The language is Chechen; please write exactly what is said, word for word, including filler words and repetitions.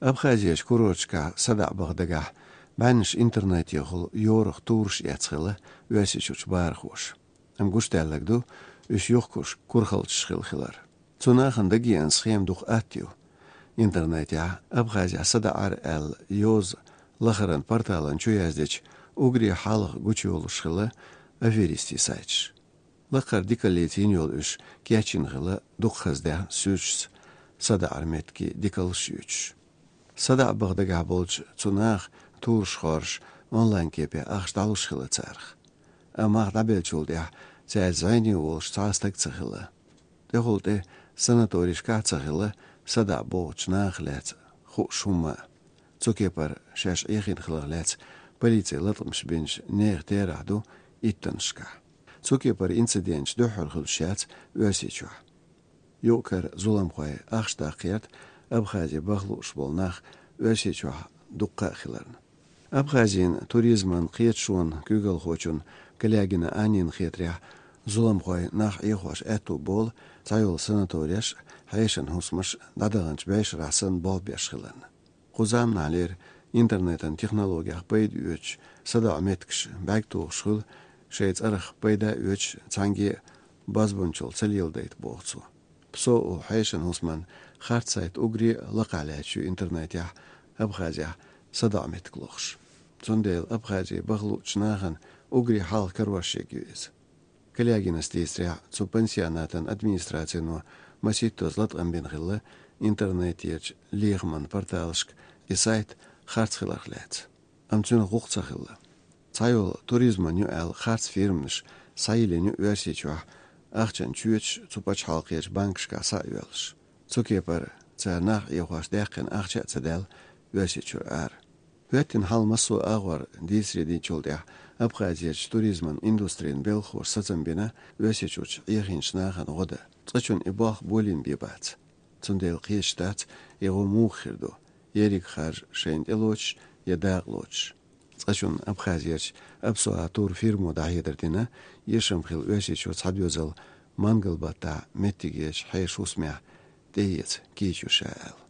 Абхазерчу курорташкахь садаӀа баха дагахь бӀеннаш интернетехула йорах тураш эцна хилла Оьрсийчуьрчу бахархоша. Амма гучудаьлларг ду, уьш юхкуш курхалчаш хилла хилар. Цу нахана дагеана схема дукха атта ю. Интернетехь Абхазехь садаӀар аьлла йоза лахаран порталан чу яздечу уггаре хьалха гучуйолуш хилла аферистийн сайташ. Лакхара дикаллица йина йолу уьш кечйина хилла дукха хаза дехьа суьрташца, садаӀар меттиге дикаллаш юьйцуш. СадаӀа баха дагахь болчу цу наха тураш хоржуш онлайн кепе ахча дӀалуш хилла царах. Амма мах дӀабеллачул тӀаьхьа цаьрца зӀене волуш цхьа а стаг ца хилла. ТӀехула тӀе санаторийшкахь а ца хилла садаӀа бохучу нахах лаьцна хууш хӀумма а. Цу кепара шаьш Ӏехийна хиларх лаьцна полици латкъамаш бинчу нехан терахь ду иттаннашкахь. Цу кепара инциденташ дуьххьара хуьлуш яц Оьрсийчохь. Юкъара зуламхой ахча даккха гӀерта Абхазе баха лууш болу нах Оьрсийчохь дуккха а хиларна. Абхазин туризман кхеташонан куьйгалхочун Калягина Аннин хетарехь, зуламхой нах Ӏехош аьтту болу цхьайолу санатореш а, хьешан хӀусамаш а дӀадаханчу бӀешарахь санна болх беш хиларна. Кху заманахьлера интернетан технологех пайда оьцуш садаӀа меттигаш бӀаьрг тухуш хуьлу, шайн цӀарах пайда оьцуш цхьаьнгге а бозбуунчалла ца леладайта, боху цо. Псо олу хьешан хӀусаман харц сайт уггаре а лакхахь лаьтташ ю интернетехь Абхазехь садаӀа меттиг лохуш. Цундела Абхазе баха луучу нахана уггаре хьалха карош ерг ю иза. Калягинас дийцарехь, цу пансионатан администрацино масийттазза латкъам бина хилла интернетерчу лехаман порталашка и сайт харц хиларх лаьцна. Амма цуьнан гӀуллакх ца хилла. Цхьайолу туризман ю аьлла харц фирманаш схьайиллина ю Оьрсийчохь, ахчан чоьташ цу пачхьалкхерчу банкашкахь схьа а йоьллуш. Цу кепара цара нах Ӏехош даьккхина ахча а ца даьлла Оьрсийчуьра ара. ХӀоьттина хьал массо а агӀор дийцаре динчул тӀаьхьа Абхазерчу туризман индустрин белхахоша сацам бина Оьрсийчуьрчу Ӏехийначу нахана гӀо дан. Цкъачунна и болх болийна бен бац. Цундела кхеташ дац, и гӀо муха хир ду, ерриг харж шайна тӀелоцуш я дакъалоцуш. Цкъачунна Абхазерчу Апсуа турфирмо дӀахьедар дина, эшам хилла Оьрсийчуьра цхьа доьзал Мангалбаттахь меттигерчу хьешан хӀусамехь тӀеэца кийча ю ша аьлла.